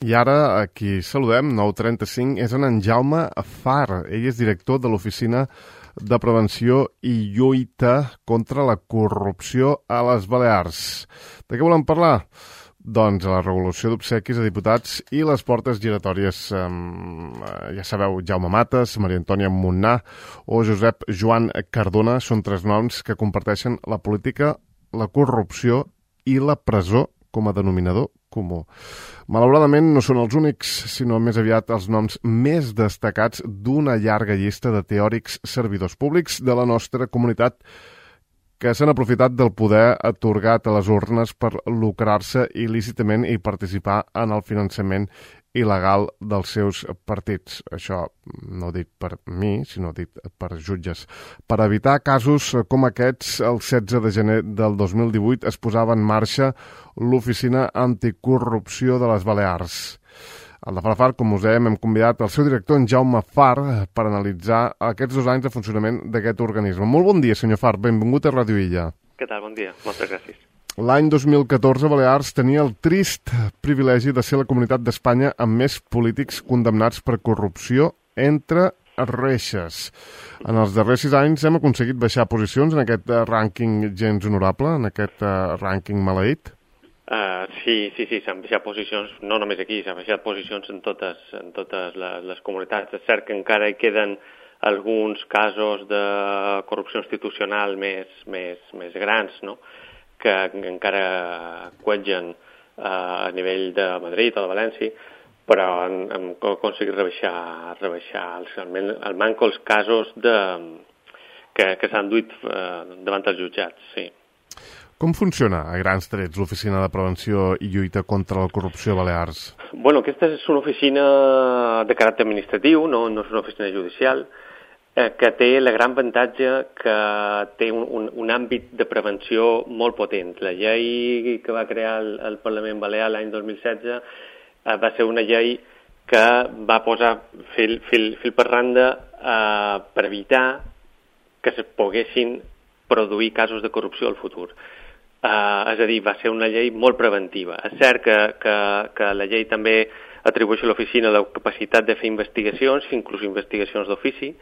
I ara, aquí saludem, 9:35, és en Jaume Far. Ell és director de l'Oficina de Prevenció i Lluita contra la Corrupció a les Balears. De què volem parlar? Doncs la regulació d'obsequis a diputats i les portes giratòries. Ja sabeu, Jaume Mates, Maria Antònia Muntnar o Josep Joan Cardona són tres noms que comparteixen la política, la corrupció i la presó com a denominador comú. Malauradament no són els únics, sinó més aviat els noms més destacats d'una llarga llista de teòrics servidors públics de la nostra comunitat que s'han aprofitat del poder atorgat a les urnes per lucrar-se il·lícitament i participar en el finançament il·legal dels seus partits. Això no dit per mi, sinó dit per jutges. Per evitar casos com aquests, el 16 de gener del 2018 es posava en marxa l'Oficina Anticorrupció de les Balears. Al de Farafar, com us dèiem, hem convidat el seu director, en Jaume Far, per analitzar aquests 2 anys de funcionament d'aquest organisme. Molt bon dia, senyor Far. Benvingut a Ràdio Illa. Què tal? Bon dia. Moltes gràcies. L'any 2014, Balears tenia el trist privilegi de ser la comunitat d'Espanya amb més polítics condemnats per corrupció entre reixes. En els darrers 6 anys hem aconseguit baixar posicions en aquest rànquing gens honorable, en aquest rànquing maleït? Sí, s'han baixat posicions, no només aquí, s'han baixat posicions en totes les comunitats. És cert que encara hi queden alguns casos de corrupció institucional més grans, no?, que encara quetgen a nivell de Madrid o de València, però hem aconseguit rebaixar almenys els casos que s'han duit davant els jutjats, sí. Com funciona, a grans trets, l'Oficina de Prevenció i Lluita contra la Corrupció a Balears? Bueno, aquesta és una oficina de caràcter administratiu, no és una oficina judicial, que té el gran avantatge que té un àmbit de prevenció molt potent. La llei que va crear el Parlament Balear l'any 2016 va ser una llei que va posar fil per randa per evitar que es poguessin produir casos de corrupció al futur. És a dir, va ser una llei molt preventiva. És cert que la llei també atribueix a l'oficina la capacitat de fer investigacions, inclús investigacions d'ofici,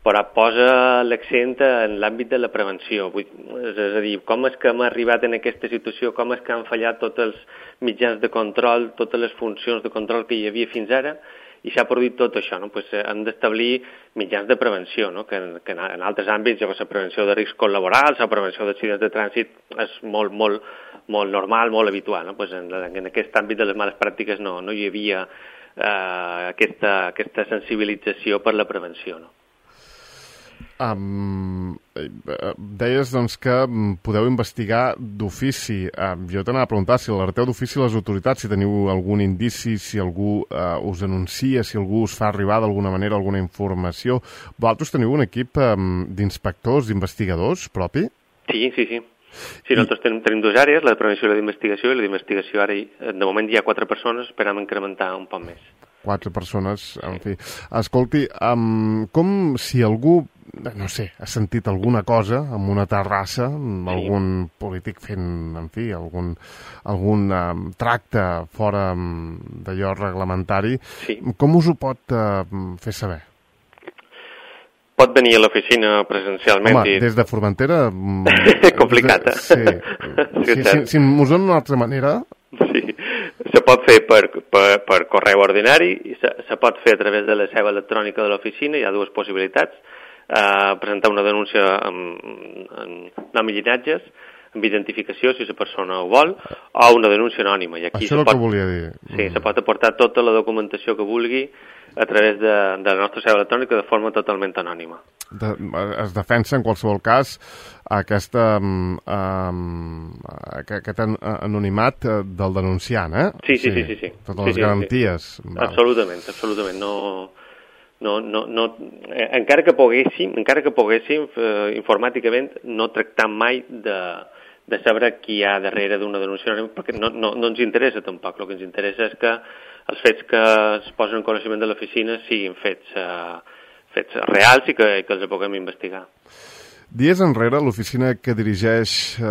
però posa l'accent en l'àmbit de la prevenció. És a dir, com és que hem arribat en aquesta situació, com és que han fallat tots els mitjans de control, totes les funcions de control que hi havia fins ara, i s'ha produït tot això, no? Pues hem d'establir mitjans de prevenció, no? Que en altres àmbits, la prevenció de riscos laborals, la prevenció d'accidents de trànsit és molt normal, molt habitual, no? Pues en aquest àmbit de les males pràctiques no hi havia aquesta sensibilització per la prevenció, no? Deies doncs, que podeu investigar d'ofici. Jo t'anava a preguntar si alerteu d'ofici a les autoritats, si teniu algun indici, si algú us anuncia, si algú us fa arribar d'alguna manera alguna informació. Vosaltres teniu un equip d'inspectors, d'investigadors propi? Sí. Sí, nosaltres tenim 2 àrees, la de prevenció i la d'investigació, i la d'investigació ara, de moment hi ha 4 persones, esperam incrementar un poc més. 4 persones, en fi. Escolti, com si algú, no sé, ha sentit alguna cosa en una terrassa, algun polític fent, en fi, algun tracte fora d'allò reglamentari, com us ho pot fer saber? Pot venir a l'oficina presencialment. Home, des de Formentera... Complicat, Sí. Si m'ho donen d'una altra manera... Sí, se pot fer per correu ordinari, i se pot fer a través de la seu electrònica de l'oficina. Hi ha 2 possibilitats: presentar una denúncia amb nom i llinatges, amb identificació, si la persona ho vol, o una denúncia anònima. I aquí això és el que volia dir. Sí, se pot aportar tota la documentació que vulgui a través de la nostra seu electrònica de forma totalment anònima. Es defensa, en qualsevol cas, aquest anonimat del denunciant, eh? Sí. Totes les garanties. Sí. Absolutament. Encara que poguéssim, informàticament, no tractam mai de saber qui hi ha darrere d'una denúncia anònima, perquè no ens interessa tampoc. El que ens interessa és que els fets que es posen en coneixement de l'oficina siguin fets reals i que els puguem investigar. Dies enrere, l'oficina que dirigeix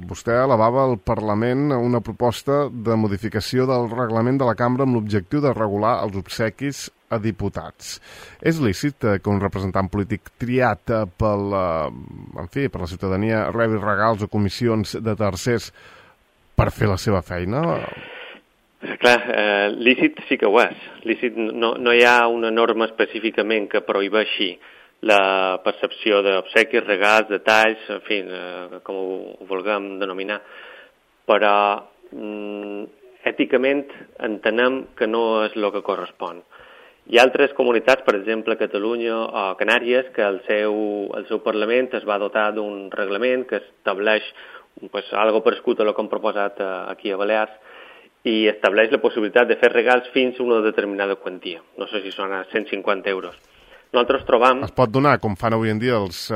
vostè elevava al Parlament una proposta de modificació del reglament de la cambra amb l'objectiu de regular els obsequis a diputats. És lícit que un representant polític triat per la ciutadania rebi regals o comissions de tercers per fer la seva feina? Clar, lícit sí que ho és. Lícit no hi ha una norma específicament que prohibeixi la percepció d'obsequis, regals, detalls, en fi, com ho vulguem denominar, però èticament entenem que no és el que correspon. Hi ha altres comunitats, per exemple Catalunya o Canàries, que el seu Parlament es va dotar d'un reglament que estableix algo parescut a el que hem proposat aquí a Balears i estableix la possibilitat de fer regals fins a una determinada quantia. No sé si són a 150 euros. Nosaltres trobam... Es pot donar, com fan avui en dia els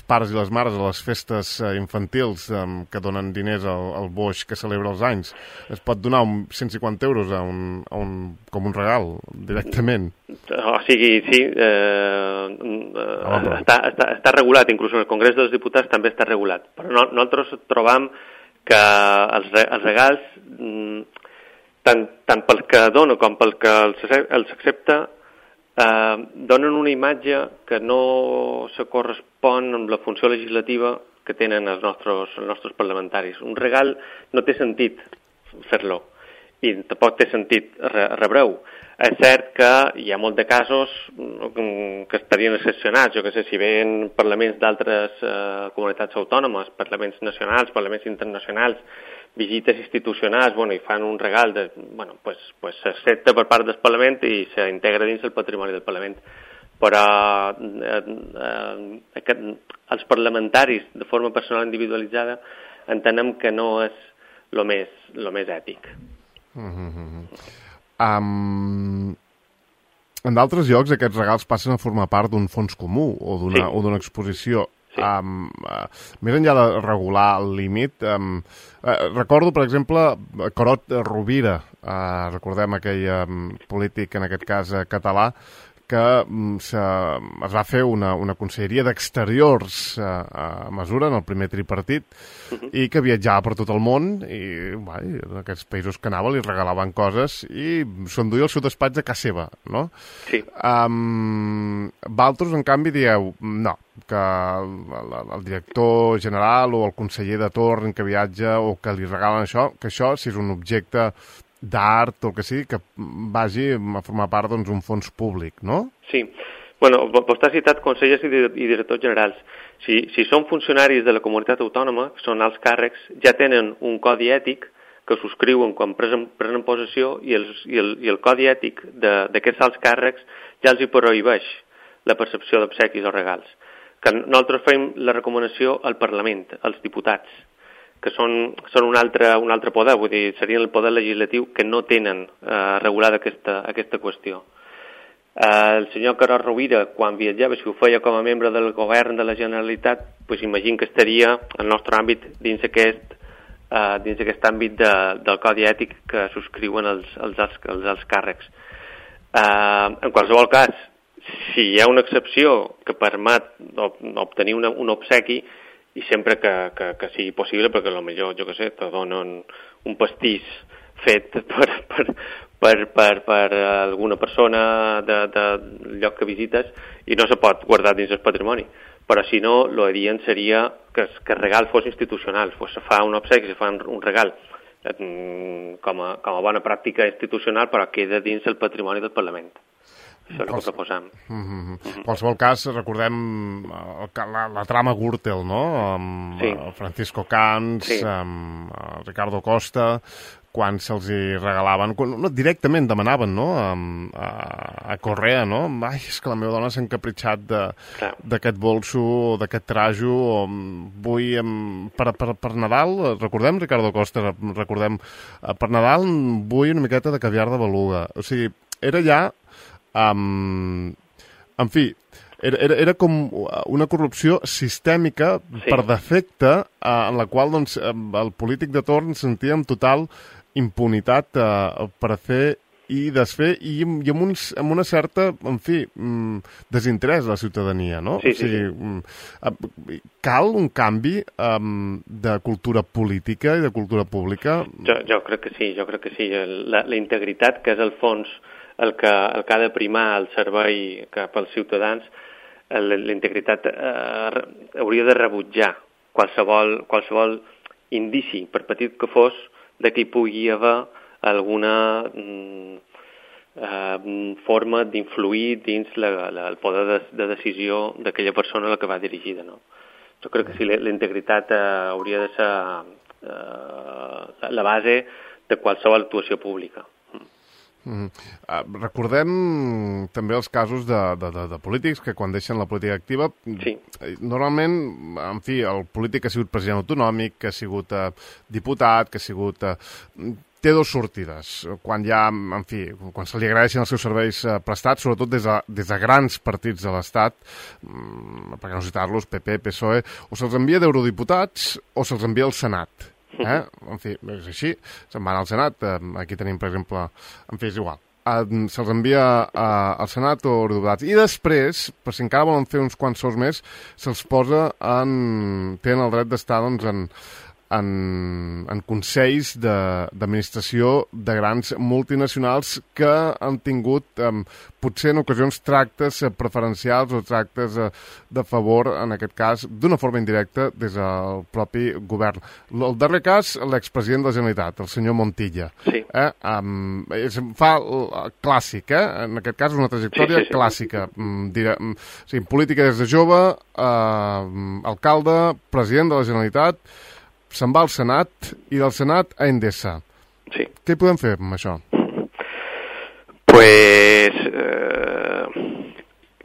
pares i les mares a les festes infantils que donen diners al boix que celebra els anys. Es pot donar 150 euros com un regal, directament. O sigui, sí, està regulat, inclús en el Congrés dels Diputats també està regulat. Però nosaltres trobam que els regals, tant pel que dona com pel que els accepta, donen una imatge que no se correspon amb la funció legislativa que tenen els nostres parlamentaris. Un regal no té sentit fer-lo i tampoc té sentit rebre-ho. És cert que hi ha molts de casos que estarien excepcionats. Jo què sé, si ven parlaments d'altres comunitats autònomes, parlaments nacionals, parlaments internacionals, visites institucionals, i fan un regal, s'accepta per part del Parlament i s'integra dins el patrimoni del Parlament. Però els parlamentaris, de forma personal individualitzada, entenem que no és el més ètic. En d'altres llocs aquests regals passen a formar part d'un fons comú o d'una exposició. Sí. Més enllà de regular el límit, recordo, per exemple, Corot Rovira, recordem aquell polític, en aquest cas català, que es va fer una conselleria d'exteriors a mesura en el primer tripartit i que viatjava per tot el món i en aquests països que anava li regalaven coses i s'enduia el seu despatx a casa seva, no? Sí. Valtros, en canvi, dieu no, que el director general o el conseller de torn que viatja o que li regalen això, que això, si és un objecte d'art o el que sigui, que vagi a formar part d'un fons públic, no? Sí. Vostè ha citat consellers i directors generals. Si són funcionaris de la comunitat autònoma, són alts càrrecs, ja tenen un codi ètic que subscriuen quan prenen possessió i el codi ètic d'aquests alts càrrecs ja els hi prohibeix la percepció d'obsequis o regals. Que nosaltres fem la recomanació al Parlament, als diputats, que són un altre poder, vull dir, serien el poder legislatiu que no tenen regulada aquesta qüestió. El senyor Corot Rovira, quan viatjava, si ho feia com a membre del govern de la Generalitat, imagino que estaria al nostre àmbit dins aquest àmbit del codi ètic que subscriuen els alts càrrecs. En qualsevol cas, si hi ha una excepció que permet obtenir un obsequi, i sempre que sigui possible, perquè potser, jo què sé, te donen un pastís fet per alguna persona del lloc que visites i no se pot guardar dins el patrimoni. Però si no, l'adient seria que el regal fos institucional, se fa un obsequi, se fa un regal com a bona pràctica institucional, però queda dins el patrimoni del Parlament. Això és el que proposam. En qualsevol cas, recordem la trama Gürtel, no? Amb Francisco Camps, amb Ricardo Costa, quan se'ls hi regalaven, directament demanaven, no?, a Correa, no? Ai, és que la meva dona s'ha encapritxat d'aquest bolso, d'aquest trajo, vull, per Nadal, recordem, Ricardo Costa, per Nadal vull una miqueta de caviar de beluga. O sigui, era ja... en fi, era com una corrupció sistèmica per defecte en la qual el polític de torn sentia amb total impunitat per fer i desfer, i amb una certa, en fi, desinterès de la ciutadania, no? Sí, o sigui, cal un canvi de cultura política i de cultura pública? Jo crec que sí. La integritat, que és el fons el que ha de primar el servei cap als ciutadans, la integritat hauria de rebutjar qualsevol indici, per petit que fos, de que hi pugui haver alguna forma d'influir dins el poder de decisió d'aquella persona a la que va dirigida, no? Jo crec que sí, la integritat hauria de ser la base de qualsevol actuació pública. Recordem també els casos de polítics que quan deixen la política activa, sí. Normalment, en fi, el polític que ha sigut president autonòmic, que ha sigut diputat, que ha sigut... té dues sortides. Quan ja, en fi, quan se li agraeixen els seus serveis prestats, sobretot des de grans partits de l'Estat, per no citar-los, PP, PSOE, o se'ls envia d'eurodiputats o se'ls envia al Senat. En fi, és així, se'n van al Senat, aquí tenim, per exemple, en fi, és igual, se'ls envia al Senat o eurodiputats, i després, per si encara volen fer uns quants sous més, se'ls posa tenen el dret d'estar, doncs, en consells d'administració de grans multinacionals que han tingut, potser en ocasions, tractes preferencials o tractes de favor, en aquest cas, d'una forma indirecta des del propi govern. El darrer cas, l'expresident de la Generalitat, el senyor Montilla. Sí. Fa clàssic, en aquest cas és una trajectòria clàssica. Sí, política des de jove, alcalde, president de la Generalitat, se'n va al Senat i del Senat a Endesa. Sí. Què hi podem fer amb això? Pues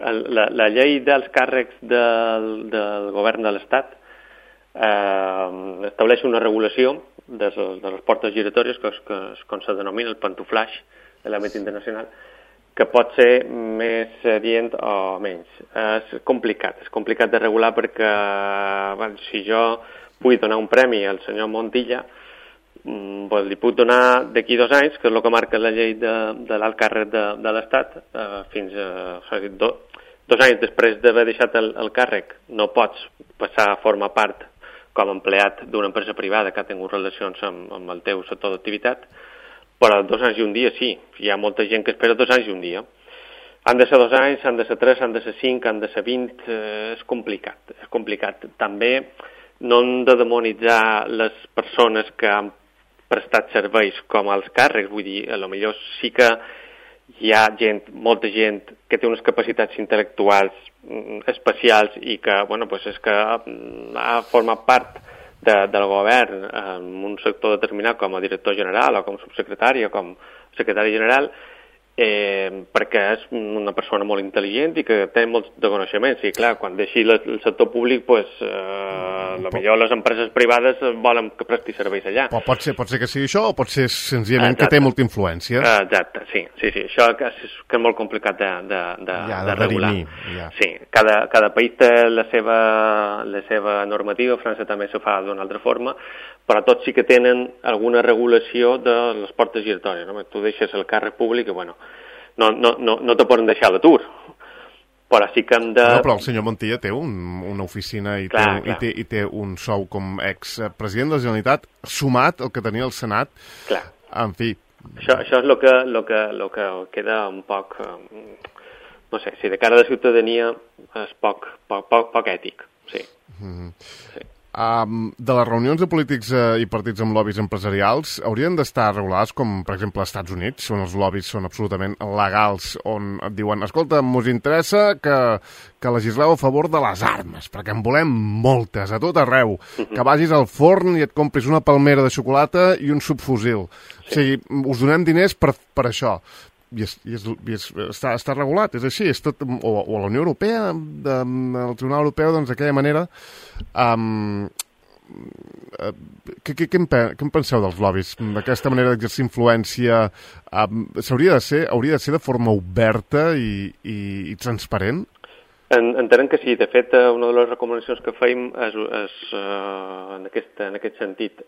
la llei dels càrrecs del govern de l'Estat estableix una regulació de les portes giratòries, que és com se denomina el pantuflaix de l'àmbit internacional, que pot ser més adient o menys. És complicat de regular perquè si jo vull donar un premi al senyor Montilla, li puc donar d'aquí 2 anys, que és el que marca la llei de l'alt càrrec de l'Estat, fins a 2 anys després d'haver deixat el càrrec. No pots passar a formar part com a empleat d'una empresa privada que ha tingut relacions amb el teu sector d'activitat, però 2 anys i un dia sí. Hi ha molta gent que espera 2 anys i un dia. Han de ser 2 anys, han de ser 3, han de ser 5, han de ser 20... És complicat. També no hem de demonitzar les persones que han prestat serveis com als càrrecs, vull dir, potser sí que hi ha molta gent que té unes capacitats intel·lectuals especials i que, és que ha format part del govern en un sector determinat com a director general o com a subsecretari o com a secretari general, perquè és una persona molt intel·ligent i que té molts de coneixements. I clar, quan deixi el sector públic, potser les empreses privades volen que presti serveis allà. Però pot ser que sigui això o pot ser senzillament que té molta influència. Exacte, sí. Això que és molt complicat de regular. Ja. Sí, cada país té la seva normativa, França també s'ho fa d'una altra forma, però tots sí que tenen alguna regulació de les portes giratòries. No? Tu deixes el càrrec públic i, no te poden deixar a l'atur. Però sí que hem de... No, però el senyor Montilla té una oficina i té un sou com expresident de la Generalitat sumat al que tenia el Senat. Clar. En fi... Això és el que queda un poc... No sé, si de cara a la ciutadania és poc ètic, sí. Sí. De les reunions de polítics i partits amb lobbies empresarials haurien d'estar regulades com, per exemple, als Estats Units, on els lobbies són absolutament legals, on et diuen, escolta, mos interessa que legisleu a favor de les armes, perquè en volem moltes, a tot arreu, que vagis al forn i et compris una palmera de xocolata i un subfusil. Sí. O sigui, us donem diners per això. I està regulat, és així, és tot, o a la Unió Europea, al Tribunal Europeu, doncs d'aquella manera. Què en penseu dels lobbies? D'aquesta manera d'exercir influència hauria de ser de forma oberta i transparent? Entenem que sí. De fet, una de les recomanacions que fèiem és en aquest sentit,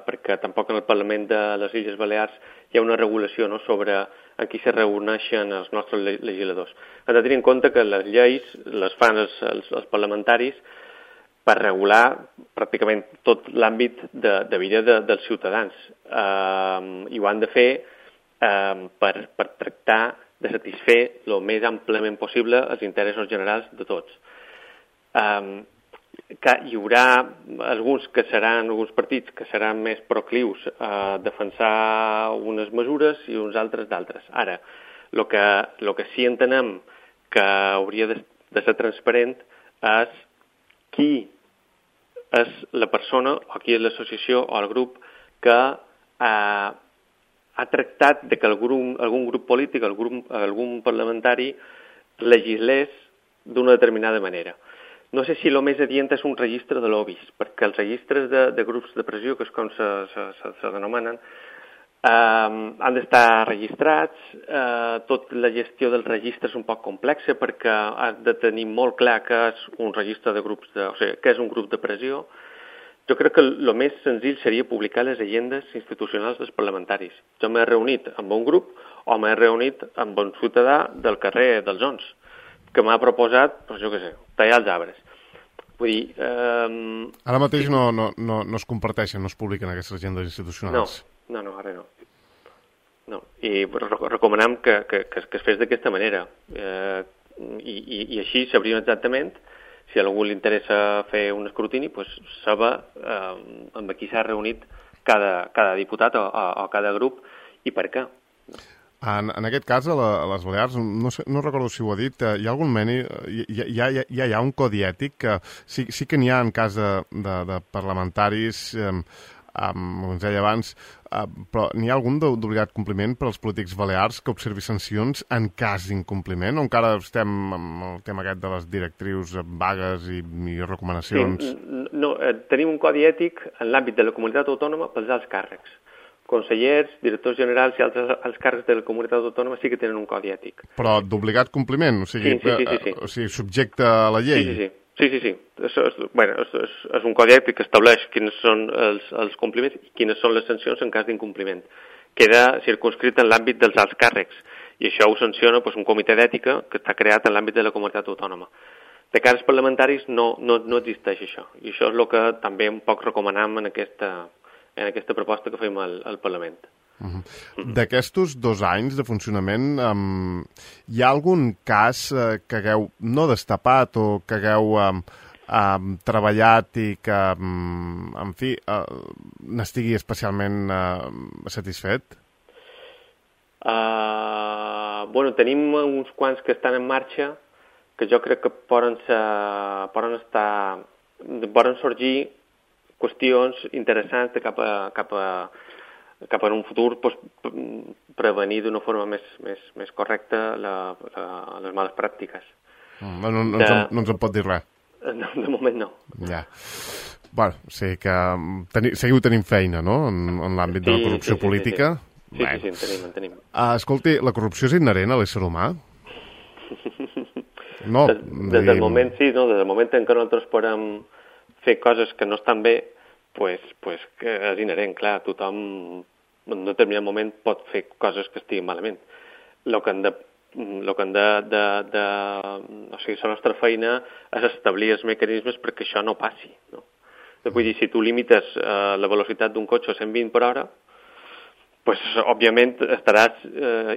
perquè tampoc en el Parlament de les Illes Balears hi ha una regulació, no, sobre en què se reuneixen els nostres legisladors. Hem de tenir en compte que les lleis les fan els parlamentaris per regular pràcticament tot l'àmbit de vida dels ciutadans. I ho han de fer per tractar de satisfer el més àmpliament possible els interessos generals de tots. Que hi haurà alguns partits que seran més proclius a defensar unes mesures i uns altres d'altres. Ara, el que sí entenem que hauria de ser transparent és qui és la persona o qui és l'associació o el grup que ha tractat de que algun grup polític, algun parlamentari legislés d'una determinada manera. No sé si el més adient és un registre de lobbies, perquè els registres de grups de pressió, que és com se denomenen, han d'estar registrats. Tota la gestió del registre és un poc complexa perquè has de tenir molt clar què és un registre de grups, o sigui, què és un grup de pressió. Jo crec que el més senzill seria publicar les agendes institucionals dels parlamentaris. Jo m'he reunit amb un grup o m'he reunit amb un ciutadà del carrer dels Ons, que m'ha proposat, doncs jo què sé, tallar els arbres. Vull dir... Ara mateix no es comparteixen, no es publiquen aquestes agendes institucionals. No, ara no. No. I recomanem que es fes d'aquesta manera. I així sabríem exactament, si a algú li interessa fer un escrutini, doncs saber amb qui s'ha reunit cada diputat o cada grup i per què. En aquest cas, a les Balears, no recordo si ho ha dit, hi ha algun hi ha un codi ètic que sí que n'hi ha en cas de parlamentaris, com ens deia abans, però n'hi ha algun d'obligat compliment per als polítics balears que observi sancions en cas d'incompliment, o encara estem amb el tema aquest de les directrius vagues i recomanacions? Sí, no, tenim un codi ètic en l'àmbit de la comunitat autònoma pels alts càrrecs. Consellers, directors generals i altres alts càrrecs de la comunitat autònoma sí que tenen un codi ètic. Però d'obligat compliment? O sigui, sí. O sigui, subjecte a la llei? Sí. És un codi ètic que estableix quins són els compliments i quines són les sancions en cas d'incompliment. Queda circunscrit en l'àmbit dels alts càrrecs i això ho sanciona un comitè d'ètica que està creat en l'àmbit de la comunitat autònoma. De cara als parlamentaris no existeix això i això és el que també un poc recomanem en aquesta proposta que fem al Parlament. D'aquests 2 anys de funcionament, hi ha algun cas que hagueu no destapat o que hagueu treballat i que, en fi, n'estigui especialment satisfet? Tenim uns quants que estan en marxa que jo crec que poden sorgir qüestions interessants de cap a un futur prevenir d'una forma més correcta les males pràctiques. No ens en pot dir res. No, de moment no. Ja. Bueno, o sigui que seguiu tenint feina, no?, en l'àmbit de la corrupció política. Sí, en tenim. Escolti, la corrupció és inherent a l'ésser humà? No. Des del moment, sí, no? Des del moment en què nosaltres podem fer coses que no estan bé, pues que és inherent, clar, tothom en un determinat moment pot fer coses que estiguin malament. O sigui, la nostra feina és establir els mecanismes perquè això no passi, no? Vull dir, si tu limites la velocitat d'un cotxe a 120 per hora, pues, òbviament estaràs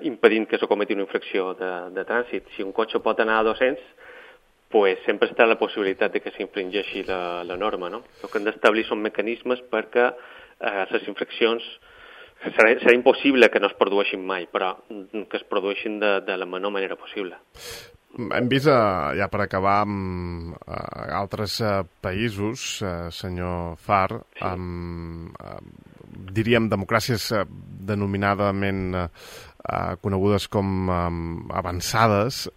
impedint que s'acometi una infracció de trànsit. Si un cotxe pot anar a 200, pues sempre està la possibilitat de que s'infringeixi la norma, no? El que hem d'establir són mecanismes perquè les infraccions serà impossible que no es produeixin mai, però que es produeixin de la menor manera possible. Hem vist, ja per acabar, altres països, senyor Far, diríem democràcies denominadament conegudes com avançades,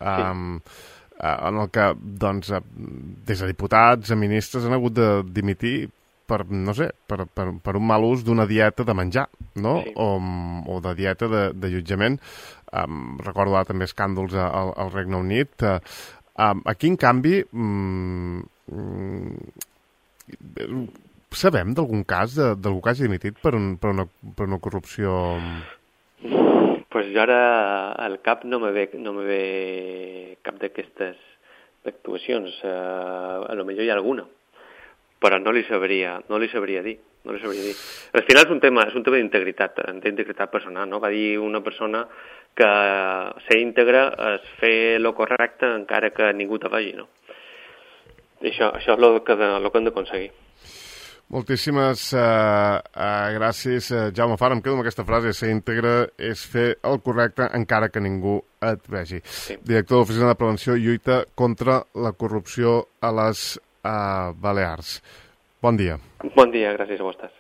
en el que, doncs, des de diputats a ministres han hagut de dimitir per, no sé, per un mal ús d'una dieta de menjar, no? Sí. O de dieta de allotjament. Recordo també escàndols al Regne Unit. Aquí, en canvi, sabem d'algun cas d'algú que hagi dimitit per una corrupció... Pues jo ara al cap no me ve cap d'aquestes actuacions. A lo millor hi ha alguna, però no li sabria dir. Al final és un tema d'integritat personal, no? Va dir una persona que ser íntegre és fer lo correcte encara que ningú te vegi, no? I això és el que hem d'aconseguir. Moltíssimes gràcies, Jaume Far. Em quedo amb aquesta frase: ser íntegre és fer el correcte encara que ningú et vegi. Sí. Director de l'Oficina de Prevenció i Lluita contra la Corrupció a les Balears. Bon dia. Bon dia, gràcies a vostès.